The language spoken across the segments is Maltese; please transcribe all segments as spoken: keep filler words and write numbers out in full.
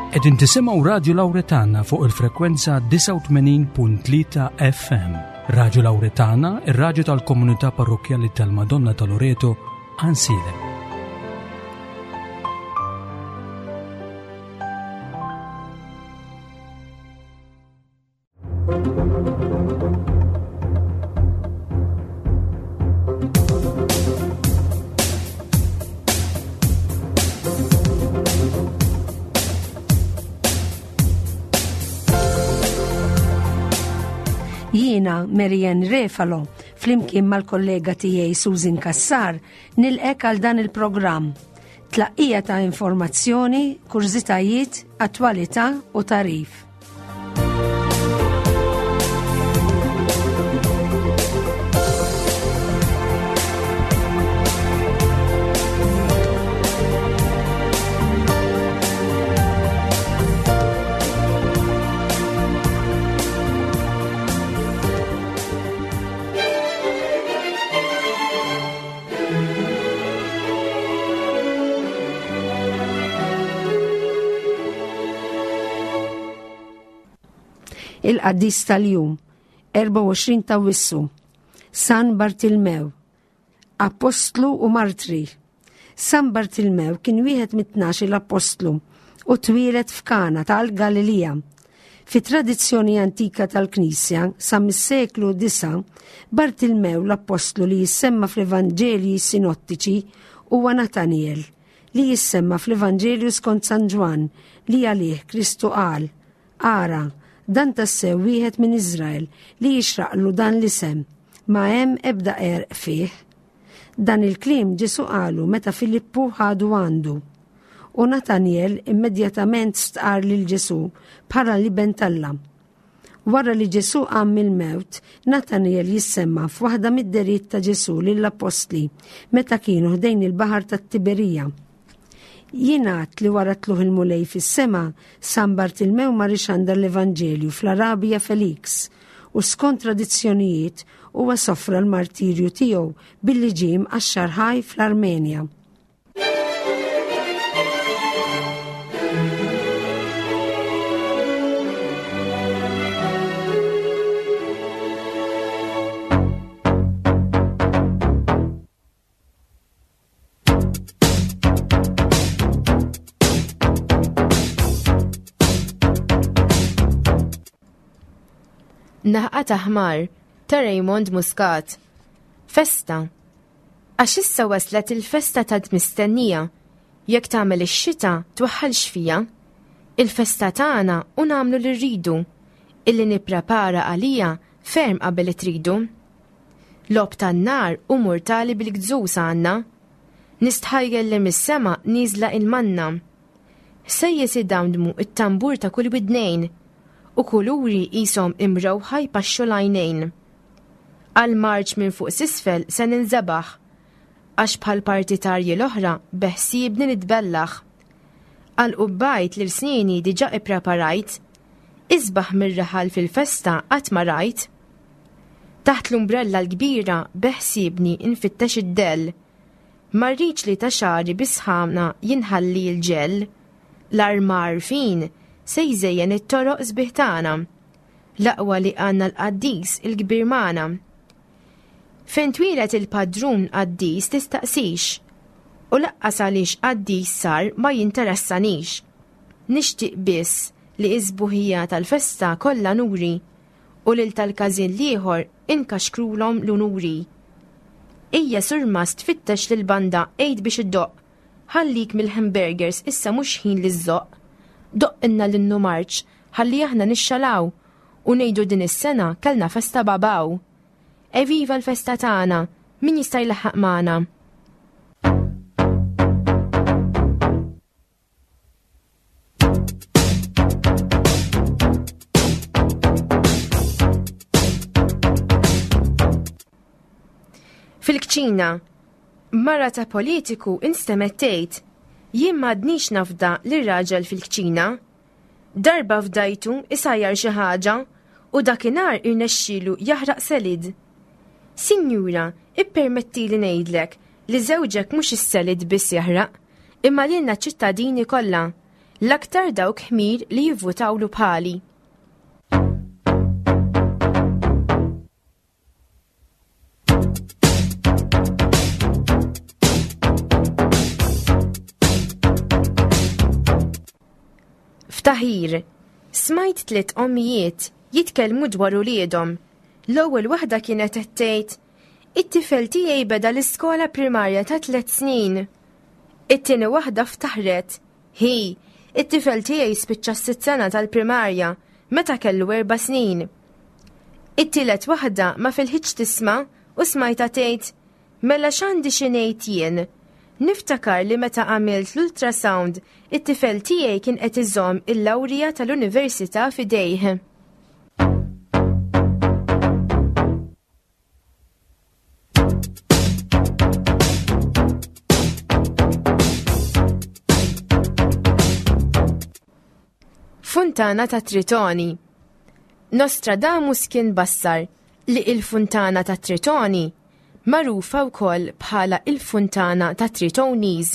Qegħdin tisimgħu Radio Lauretana fuq il-frekwenza disgħa u tmenin punt tlieta F M. Radio Lauretana, ir-raġu tal-komunità parrokjali tal-Madonna ta' Loreto, Għajnsielem. Jiena Marianne Refalo, flimkien mal-kollega tiegħi Susan Kassar, nilqgħek għal dan il-programm. Tlaqqija ta' informazzjoni, kurżitajiet, attwalità u tagħrif. Il-qaddis tal-jum, erbgħa u għoxrin ta' Awwissu, San Bartilmew, Apostlu u Martri. San Bartilmew kien wieħed mit-tnax l-apostlu u twieled f'Kana tal-Galilija. Fi tradizzjoni antika tal-Knisja, sa mis-seklu disa, Bartilmew l-apostlu li jissemma fl-Evanġelji sinottiċi huwa Nataniel, li jissemma fl-Evanġelju skont San Ġwann li għalih Kristu qal: "Ara, dan tassew wieħed minn Izrael li jixraqlu dan l-isem, ma hemm ebda qerq fih." Dan il-kliem Ġesu qalu meta Filippu ħadu għandu. U Nataniel immedjatament stqar lil Ġesu bħala l-Iben t'Alla. Wara li Ġesu qam mill-mewt, Nataniel jissemma f'waħda mid-dehriet ta' Ġesu lill-apostli meta kienu ħdejn il-baħar tat-Tiberija. Jingħad li wara tlugħ il-Mulej fis-sema, San Bartilmew mar ixandar l-Evanġelju fl-Arabia Felix u skont tradizzjonijiet huwa sofra l-martirju tiegħu billi ġie mqaxxar ħaj fl-Armenja. Naħqa ta' ħmar ta' Raymond Muscat. Festa. Għax issa waslet il-festa ta' mistennija. Jekk tagħmel ix-xita twaħħalx fija. Il-festa tagħna u nagħmlu li rridu. Illi nipprepara għalija ferm qabel tridu. Logħob tan-nar u murtali bil-gżus għandna. Nistħajjel li mis-sema nieżla il-manna. Sejjes idamdmu it-tambur ta' kull widnejn u kuluri qishom imrewħa jpaxxu l-għajnejn. Għal-marċ minn fuq s'isfel se ninżebaħ, għax bħal partitarji l-oħra beħsiebni nitbellaħ. Għal-qubbajt li l-snini diġa ippreparajt, isbaħ mir-raħal fil-festa qatt ma rajt. Taħt l-umbrella l-kbira beħsiebni nfittex id-dell. Ma rridx li ta' xagħri bis-sħana jinħalli l-ġell. L-armar fin se jżejjen it-toroq sbieħ tagħna. L-aqwa li għandna l-qaddis il-kbir magħna. Fejn twieled il-padrun qaddis tistaqsix, u lanqas għaliex qaddis sar ma jinteressanix. Nixtieq biss li is-sbuħija tal-festa kollha nuri u lil tal-każin l-ieħor inkaxkrulhom l-unuri. Ejja surmast tfittex lil banda għid biex iddoqq, ħallik mill-hamburgers, issa mhux ħin li żżoqq. Doqqilna l-innu marċ ħalli aħna nixxalaw u ngħidu din is-sena kellna festa babaw. Eviva l-festa tagħna, min jista' jlaħħaq magħna? Fil-kċina, mara ta' politiku instemgħet tgħid: "Jien m'għadnix nafda lir-raġel fil-kċina. Darba fdajtu isajjar xi ħaġa u dakinhar irnexxielu jaħraq salad. Sinjura, ippermetti li ngħidlek li żewġek mhux is-salad biss jaħraq, imma lilna ċittadini kollha L-aktar dawk ħmir li jivvutawlu bħali. Ftaħir, smajt tliet ommijiet jitkellmu dwar uliedhom. L-ewwel waħda kienet qed tgħid, "It-tifel tiegħi beda l-iskola primarja ta' tliet snin." It-tieni waħda ftaħret, "Hi, it-tifel tiegħi spiċċa s-sitt sena tal-primarja meta kellu erba' snin." It-tielet waħda ma filħitx tisma' u smajta tgħid, "Mela x'għandi xi ngħid jien?" Niftakar li meta għamilt l-ultrasound, it-tifel tiegħi kien qed iżomm il-lawrija tal-università f'idejh. Funtana ta' Tritoni. Nostradamus kien bassar li il-Funtana ta' Tritoni, magħrufa wkoll bħala il-Funtana ta' Tritonis,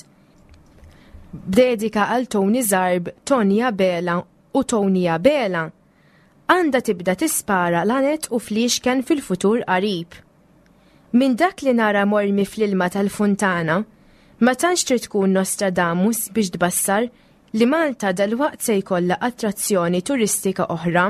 b'dedika għal Tony Zarb, Tony Abela u Tony Abela, għandha tibda tispara lanet u fliexken fil-futur qarib. Minn dak li nara mormi fl-ilma tal-funtana, ma tantx trid tkun Nostradamus biex tbassar li Malta dalwaqt se jkollha attrazzjoni turistika oħra.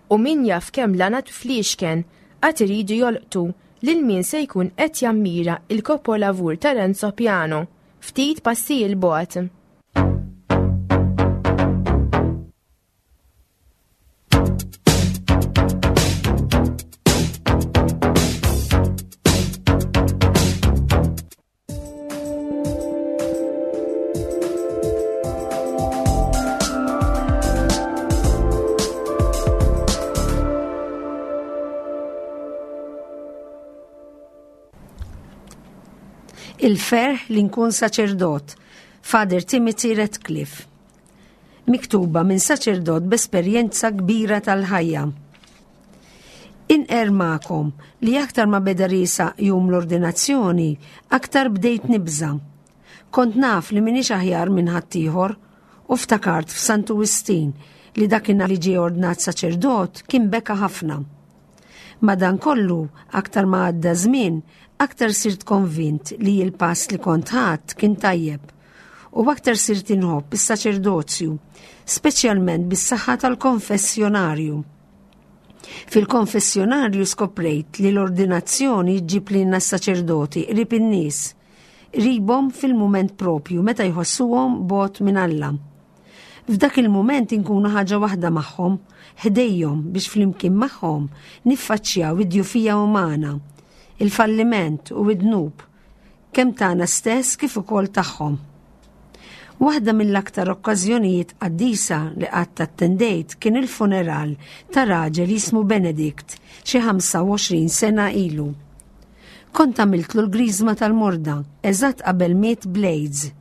U min jaf kemm lanat fliexken għad iridu jolqtu lil min se jkun qed jammira il-kopolavur ta' Renzo Piano ftit passi 'l bogħod. Il-ferħ li nkun saċerdot, Father Timothy Radcliffe. Miktuba minn saċerdot b'esperjenza kbira tal-ħajja. Inqer magħkom li aktar ma beda riesaq jum l-ordinazzjoni, aktar bdejt nibża. Kont naf li minix aħjar minn ħaddieħor u ftakart f'Santu Wistin li dakinhar li ġie ordnat saċerdot kien beka ħafna. Madankollu, aktar ma għadda żmien, aktar sirt konvint li l-pass li kont ħadt kien tajjeb u aktar sirt inħobb is-saċerdozju, speċjalment bis-saħħa tal-konfessjonarju. Fil-konfessjonarju skoprejt li l-ordinazzjoni ġġib lilna s-saċerdoti qrib in-nies, qribhom fil-mument propju meta jħossuhom bogħod minn Alla. F'dak il-mument inkunu ħaġa waħda magħhom, ħdejhom biex flimkien magħhom niffaċċjaw id-djufija umana, il-falliment u id-dnub, kemm tagħna stess kif ukoll tagħhom. Waħda mill-aktar okkażjonijiet qaddisa li qatt attendejt kien il-funeral ta' raġel jismu Benedict xi ħamsa u għoxrin sena ilu. Kont għamiltlu l-griżma tal-morda eżatt qabel miet bl-AIDS.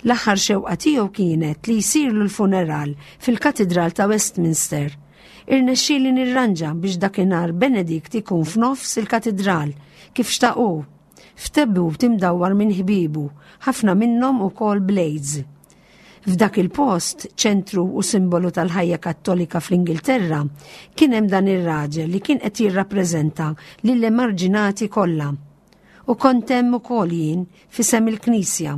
L-aħħar xewqa tiegħu kienet li jsirlu l-funeral fil-Katidral ta' Westminster. Irnexxieli nirranġa biex dakinhar Benedict ikun f'nofs il-katidral kif xtaqu, f'tebut imdawwar minn ħbiebu, ħafna minnhom ukoll bl-AIDS. F'dak il-post, ċentru u simbolu tal-ħajja kattolika fl-Ingilterra, kien hemm dan ir-raġel li kien qed jirrappreżenta lill-emarġinati kollha. U kont hemm ukoll jien f'isem il-Knisja.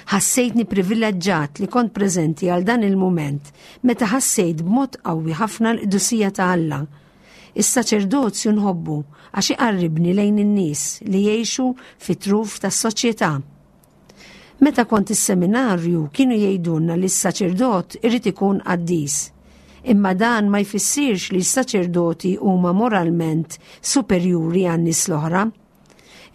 Ħassejtni privileġġat li kont preżenti għal dan il-mument meta ħassejt b'mod qawwi ħafna l-qdusija ta' Alla. Is-saċerdozju nħobbu għax iqarribni lejn in-nies li jgħixu fit-truf tas-soċjetà. Meta kont is-seminarju kienu jgħidulna li s-saċerdot irid ikun qaddis. Imma dan ma jfissirx li s-saċerdoti huma moralment superjuri għan-nies l-oħra.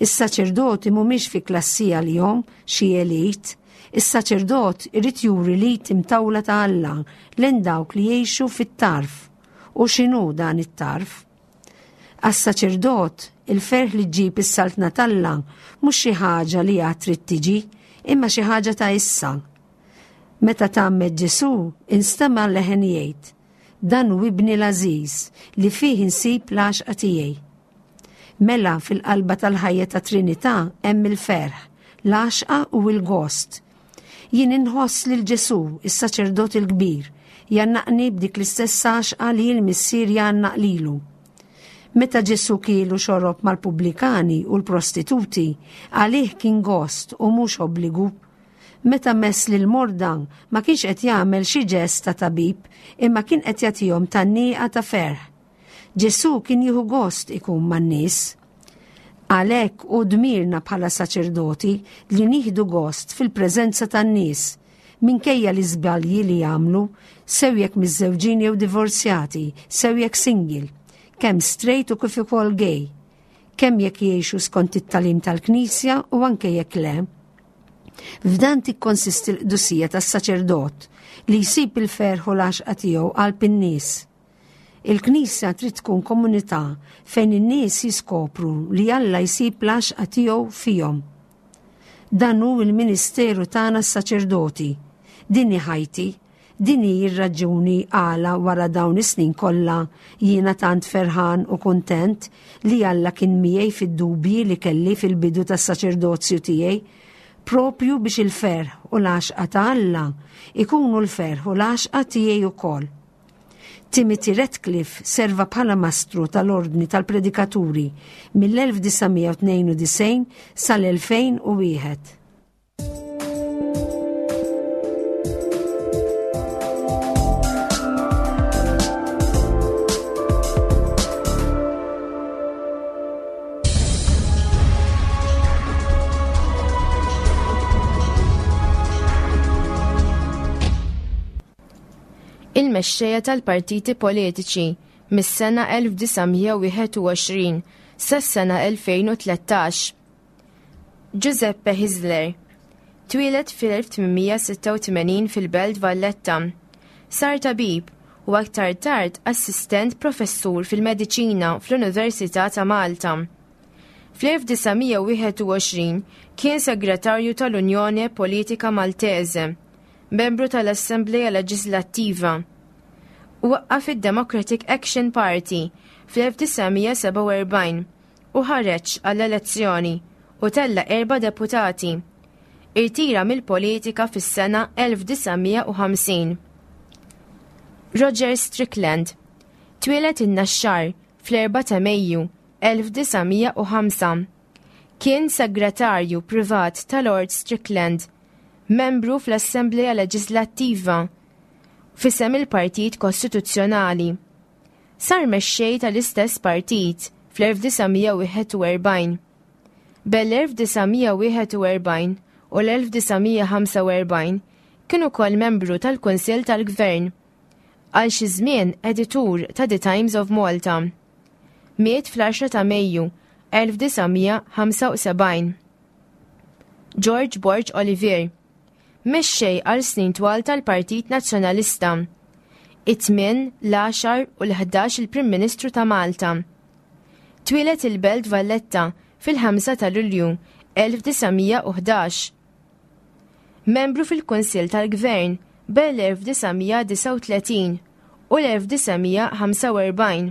Is-saċerdoti mhumiex fi klassi għalihom xi elit. Is-saċerdot irid juri li timtawla ta' Alla lejn dawk li jgħixu fit-tarf. U x'inhu dan it-tarf? Għas-saċerdot il-ferħ li ġġib is-saltna t'Alla mhux xi ħaġa li għad trid tiġi, imma xi ħaġa ta' issa. Meta tgħammed Ġesù, instema' leħen jgħid, Dan hu ibni l-għażiż li fih insib l-għaxqa tiegħi. Mela fil-qalba tal-ħajja ta' Trinità hemm il-ferħ, l-għaxqa u l-gost. Jien inħoss lil Ġesù, is-saċerdot il-kbir, jgħannaqni b'dik l-istess għaxqa li l-missier jgħannaq lilu. Meta Ġesù kiel u xorob mal-pubblikani u l-prostituti, għalih kien gost u mhux obbligu. Meta mess lil morda ma kienx qed jagħmel xi ġest ta' tabib, imma kien qed jagħtihom tgħanniqa ta' ferħ. Ġesù kien jieħu gost ikun man-nies. Għalhekk hu dmirna bħala saċerdoti li nieħdu gost fil-preżenza tan-nies, minkejja l-iżbalji li jagħmlu, sew jekk miżżewġin jew divorzjati, sew jekk single, kemm straight u kif ukoll gay, kemm jekk jgħixu skont it-tagħlim tal-Knisja u anke jekk le. F'dan tikkonsisti l-qdusija tas-saċerdot li jsib il-ferħ u l-għaxqa tiegħu qalb in-nies. Il-Knisja trid tkun komunità fejn in-nies jiskopru li Alla jsib l-għaxqa tiegħu fihom. Dan hu l-ministeru tagħna s-saċerdoti. Din hi ħajti, din hi r-raġuni għala wara dawn is-snin kollha jiena tant ferħan u kuntent li Alla kien miegħi fid-dubji li kelli fil-bidu tas-saċerdozju tiegħi, propju biex il-ferħ u l-għaxqa ta' Alla ikunu l-ferħ u l-għaxqa tiegħi wkoll. Timothy Radcliffe serva bħala mastru tal-Ordni tal-Predikaturi mill-elf disa' mija u tnejn u disgħin sal-elfejn u wieħed. Il-mexxejja tal-partiti politiċi mis-sena elf disa' mija wieħed u għoxrin sas-sena elfejn u tlettax. Giuseppe Hyzler twieled fil-elf tmien mija sitta u tmenin fil-Belt Valletta. Sar tabib u aktar tard assistent professur fil-mediċina fl-Università ta' Malta. Fl-elf disa' mija wieħed u għoxrin kien segretarju tal-Unjoni Politika Maltese, membru tal-Assembleja Leġislattiva. Waqqaf id-Democratic Action Party fl-elf disa' mija sebgħa u erbgħin u ħareġ għall-elezzjoni u tella' erba' deputati. Irtira mill-politika fis-sena elf disa' mija u ħamsin. Roger Strickland twieled in-Naxxar fl-erba' ta' Mejju elf disa' mija u ħamsa. Kien segretarju privat ta' Lord Strickland, membru fl-Assembleja Leġislattiva f'isem il-Partit Kostituzzjonali. Sar mexxej tal-istess partit fl-elf disa' mija wieħed u erbgħin. Bel-elf disa' mija wieħed u erbgħin u l-elf disa' mija ħamsa u erbgħin kien ukoll membru tal-Kunsill tal-Gvern. Għal xi żmien editur ta' The Times of Malta. Miet fl-għaxra ta' Mejju elf disa' mija ħamsa u sebgħin. George Borg Olivier mexxej għal snin twal tal-Partit Nazzjonalista. It-tmien, l-għaxar u l-ħdax il-Prim Ministru ta' Malta. Twieled il-Belt Valletta fil-ħamsa ta' Lulju elf disa' mija u ħdax. Membru fil-Kunsill tal-Gvern bejn l-elf disa' mija disgħa u tletin u l-elf disa' mija ħamsa u erbgħin.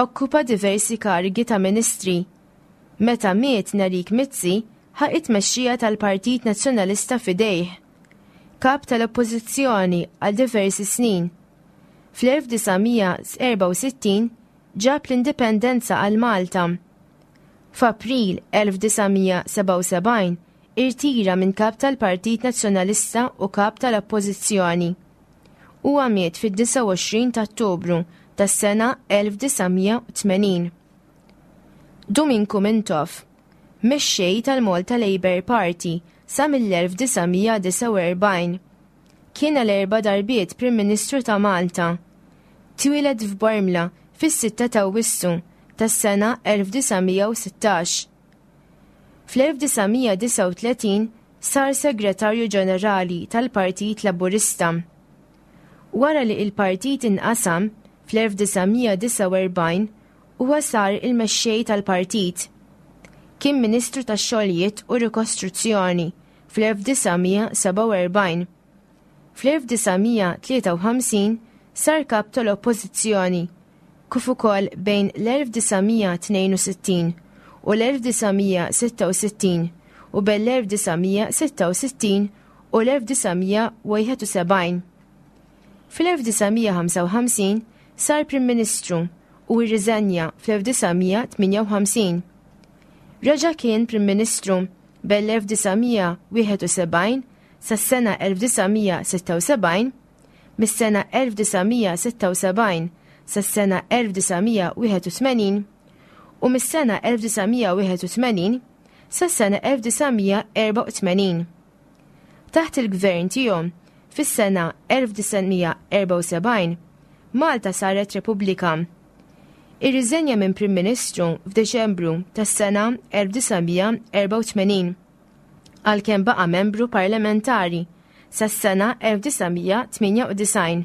Okkupa diversi karigi ta' ministri. Meta miet Nerik Mizzi, ħa it-tmexxija tal-Partit Nazzjonalista f'idejh. Kap tal-Oppożizzjoni għal diversi snin. Fl-elf disa' mija erbgħa u sittin ġab l-indipendenza għal Malta. F'April elf disa' mija sebgħa u sebgħin irtira minn kap tal-Partit Nazzjonalista u kap tal-Oppożizzjoni. Huwa miet fid-disgħa u għoxrin ta' Ottubru tas-sena elf disa' mija u tmenin. Duminku Mintoff, mexxej tal-Malta Labour Party sa mill-elf disa' mija disgħa u erbgħin. Kien għal erba' darbiet Prim Ministru ta' Malta. Twieled f'Bormla fis-sitta ta' Awwissu tas-sena elf disa' mija u sittax. Fl-elf disa' mija disgħa u tletin sar Segretarju Ġenerali tal-Partit Laburista. Wara li il-partit inqasam fl-elf disa' mija disgħa u erbgħin, huwa sar il-mexxej tal-partit. Kien Ministru tax-Xogħlijiet u Rikostruzzjoni fl-elf disa' mija sebgħa u erbgħin. Fl-elf disa' mija tlieta u ħamsin sar kap tal-Oppożizzjoni, kif ukoll bejn l-elf disa' mija tnejn u sittin u l-elf disa' mija sitta u sittin u bejn l-elf disa' mija sitta u sittin u l-elf disa' mija wieħed u sebgħin. Fl-elf disa' mija ħamsa u ħamsin sar Prim Ministru u rriżenja fl-elf disa' mija tmienja u ħamsin. Reġa' kien Prim Ministru bejn l-elf disa' mija wieħed u sebgħin sas-sena elf disa' mija sitta u sebgħin, mis-sena elf disa' mija sitta u sebgħin sas-sena elf disa' mija wieħed u tmenin u mis-sena elf disa' mija wieħed u tmenin sas-sena elf disa' mija erba' u tmenin. Taħt il-gvern tiegħu fis-sena elf disa' mija erba' u sebgħin, Malta saret Repubblika. Irriżenja minn Prim Ministru f'Deċembru tas-sena elf disa' mija erba' u tmenin, għalkemm baqa' membru parlamentari sas-sena elf disa' mija tmienja u disgħin.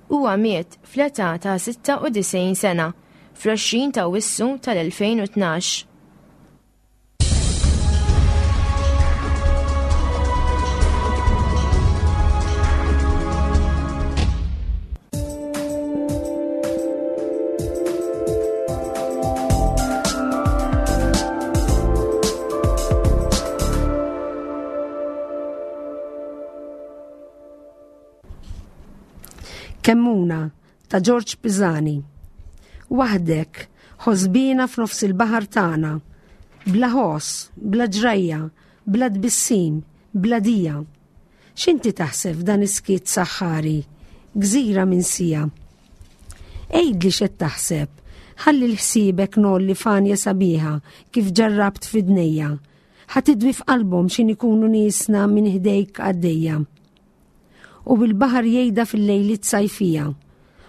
Huwa miet fl-età ta' sitta u disgħin sena fl-għoxrin ta' Awwissu tal-elfejn u tnax. Kemmuna ta' George Pisani. Waħdek, ħosbina f'nofs il-baħar tagħna, bla ħoss, bla ġrajja, bla tbissim, bla dija. X'inti taħseb f'dan is-skiet saħħari, gżira minsija? Għidli x'qed taħseb, ħalli l-ħsiebek nolli fanja sabiħa kif ġarrabt f'idnejja. Ħa tidwi f'qalbhom x'in ikunu niesna minn ħdejk għaddejja. U bil-baħar jgħidha fil-lejliet sajfija,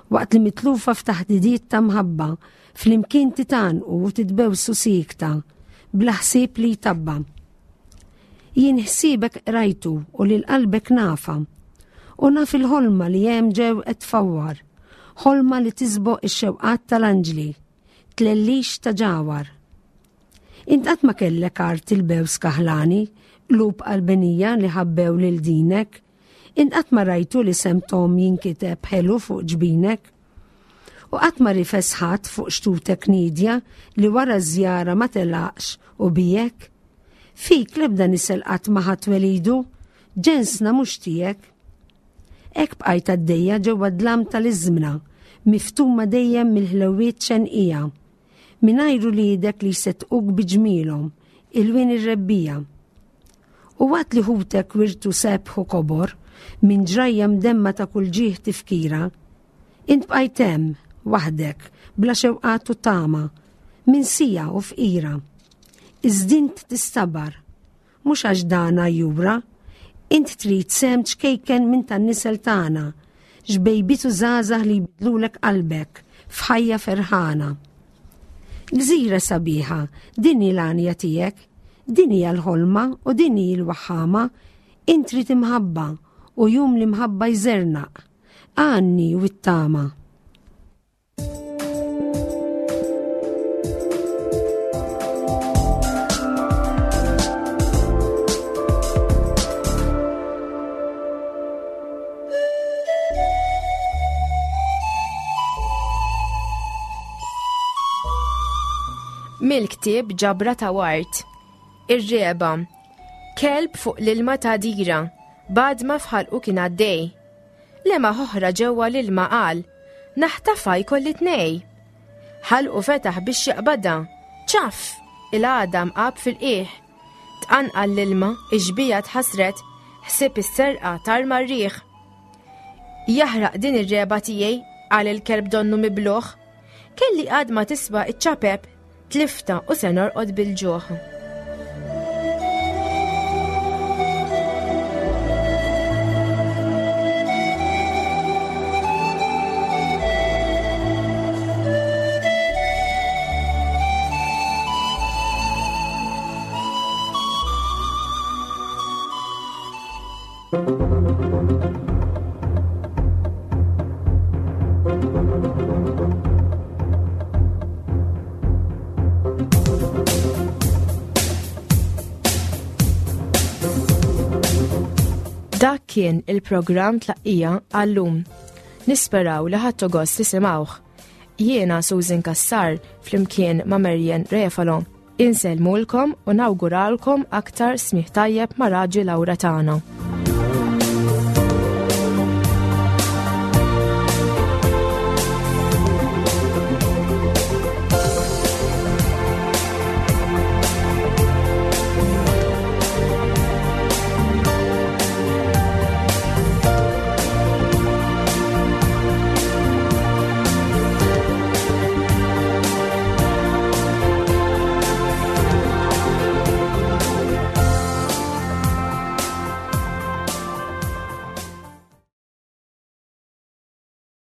waqt li mitlufa f'taħdidiet ta' mħabba, flimkien titanqu u titbewsu sikta, bla ħsieb li jtabba. Jien ħsiebek qrajtu u lil qalbek nafa, u naf il-ħolma li hemm ġew qed tfawwar, ħolma li tisboq ix-xewqat tal-anġli, tlellix ta' ġawar. Int qatt ma kellek art il-bews kaħlani, qlub qalbenija li ħabbew lil dinek, int qatt ma rajtu li sem Tom jinkiteb ħelu fuq ġbinek, u qatt ma rifes ħadd fuq xtutek nidja li wara ż-żjara ma telaqx u bijek. Fik l-ebda nisel qatt ma ħadd welidu, ġensna mhux tiegħek. Hekk bqajt għaddejja ġewwa dlam tal-iżmna, miftuma dejjem mill-ħlewiet xenqija, mingħajr uliedek li jsettquk biġmielhom, ilwien ir-rebbija. U waqt li ħutek wirtu sebħ u kobor, minn ġrajja mdemma ta' kull ġieħ tifkira, int bqajt hemm, waħdek, bla xewqat u tama, minsija u fqira. Iżdint tistabar, mhux għax dana jura, int trid sem ċkejken minn tan-nisel tagħna, xbejbitu żgħażagħ li jbidlulek qalbek f'ħajja ferħana. Gżira sabiħa, din hi l-għanja tiegħek, din hija l-ħolma u din hi l-waħħama, int trid imħabba u jum l-imħabba jżernaq, għanni u t-tama. Mill-ktieb Ġabra ta' Wart. Ir-reba. Kelb fuq l-ilma ta' dira, badma f'ħalqu kien għaddej. Lema oħra ġewwa l-ilma qal, naħtafa jkolli tnej. Ħalqu fetaħ biex jaqbadha, ċaf, il-għadam qab fil-qiegħ. Tqanqal l-ilma, ix-xbija tħassret, ħsieb is-serqa tarma r-riħ. Jaħraq din ir-reba tiegħi, qal il-kelb donnu mibluħ. Kelli għadma tiswa iċ-ċapep, tlifta u se norqod bil-ġuħ. Dak kien il-programm Tlaqqija għallum. Nisperaw li ħadtu gost tisimgħuh. Jiena Susan Cassar flimkien ma' Marian Refalo. Insellmulkom u nawguralkom aktar smigħ tajjeb ma' Raġi Laura tagħna.